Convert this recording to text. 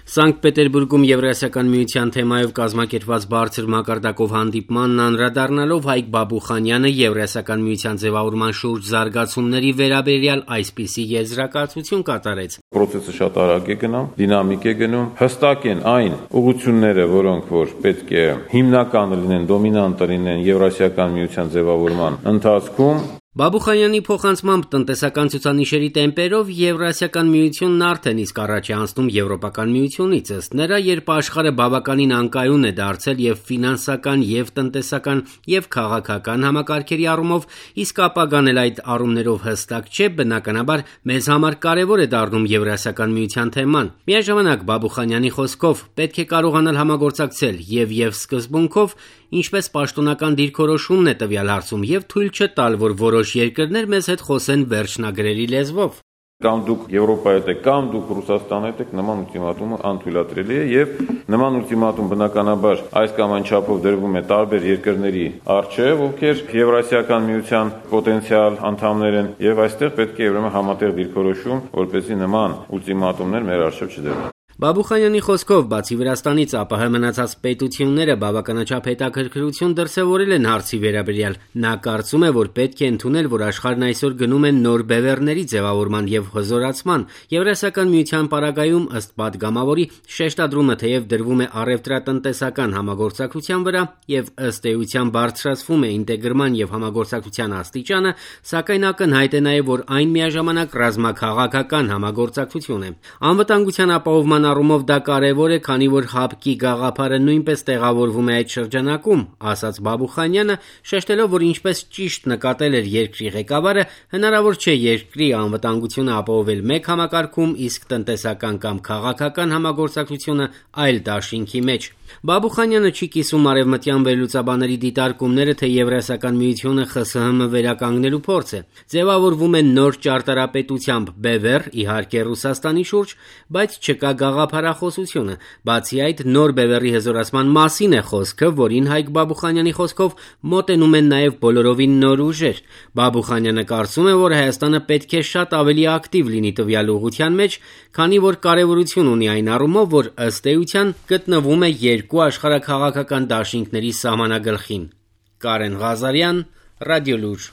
Սանկտ Պետերբուրգում Եվրասիական միության թեմայով կազմակերպված բարձր մակարդակով հանդիպմանն անդրադառնալով Հայկ Բաբուխանյանը Եվրասիական միության ձևավորման շուրջ զարգացումների վերաբերյալ այսպիսի եզրակացություն կատարեց. Պրոցեսը շատ արագ է գնում, դինամիկ է գնում, հստակ են այն ուղղությունները, որոնք որ պետք է հիմնականը լինեն, դոմինանտը լինեն Եվրասիական միության ձևավորման ընթացքում։ Բաբուխանյանի փոխանցմամբ տնտեսական ցուցանիշերի տեմպերով Եվրասիական միությունն արդեն իսկ առաջ է անցնում Եվրոպական միությունից, ըստ նրա, երբ աշխարհը բավականին անկայուն է դարձել եւ ֆինանսական, եւ տնտեսական, եւ քաղաքական համակարգերի առումով, իսկ ապագան էլ այդ առումներով հստակ չէ, բնականաբար մեզ համար կարեւոր է դառնում Եվրասիական միության թեման։ Միաժամանակ Բաբուխանյանի խոսքով պետք է կարողանալ համագործակցել եւ սկզբունքով, ինչպես պաշտոնական դիրքորոշումն է տվյալ հարցում, եւ թույլ չտալ, որ որոշ երկրներ մեզ հետ խոսեն վերջնագրերի լեզվով։ Կամ դուք Եվրոպայի հետ եք, կամ դուք Ռուսաստանի հետ եք, նման ուլտիմատումը անթույլատրելի է եւ նման ուլտիմատում բնականաբար այս կամ այն չափով դրվում է տարբեր երկրների առջեւ, ովքեր Եվրասիական միության պոտենցիալ անդամներ են եւ այստեղ պետք է ուրեմն համատեղ դիրքորոշում, որպեսզի նման ուլտիմատումներ մեր առջեւ չդրվեն։ Բաբուխանյանի խոսքով, բացի Վրաստանից, ԱՊՀ մնացած պետությունները բավականաչափ հետաքրքրություն դրսևորել են հարցի վերաբերյալ։ Նա կարծում է, որ պետք է ընդունել, որ աշխարհն այսօր գնում է նոր բևեռների ձևավորման եւ հզորացման։ Եվրասիական միության պարագայում, ըստ падգամավորի, շեշտադրումը թեև դրվում է առևտրատնտեսական համագործակցության վրա եւ ըստ էության բարձրացվում է ինտեգրման եւ համագործակցության աստիճանը, սակայն ակնհայտ է նաեւ, որ այն միաժամանակ ռազմաքաղաքական համագործակցություն է։ Անվտանգության ապահովման առումով դա կարևոր է, քանի որ ՀԱՊԿ-ի գաղափարը նույնպես տեղավորվում է այդ շրջանակում, ասաց Բաբուխանյանը, շեշտելով, որ ինչպես ճիշտ նկատել էր երկրի ղեկավարը, հնարավոր չէ երկրի անվտանգությունը ապահովել մեկ համակարգում, իսկ տնտեսական կամ քաղաքական համագործակցությունը այլ դաշինքի մեջ։ Բաբուխանյանը չի կիսում արևմտյան վերլուծաբաների դիտարկումները, թե Եվրասիական միությունը ԽՍՀՄ վերականգնելու փորձ է։ Ձևավորվում է նոր ճարտարապետությամբ բևեռ, իհարկե Ռուսաստանի շուրջ, բայց չկա գաղափարախոսությունը։ Բացի այդ, նոր բևեռի հզորացման մասին է խոսքը, որին Հայկ Բաբուխանյանի խոսքով մոտենում են նաև բոլորովին նոր ուժեր։ Բաբուխանյանը կարծում է, որ Հայաստանը պետք է շատ ավելի ակտիվ լինի տվյալ ուղղության մեջ, քանի որ կարևորություն ունի այն առումով, որ ըստ էության գտնվում է երկու աշխարհաքաղաքական դաշինքների սահմանագլխին։ Կարեն Ղազարյան, Ռադիոլուր։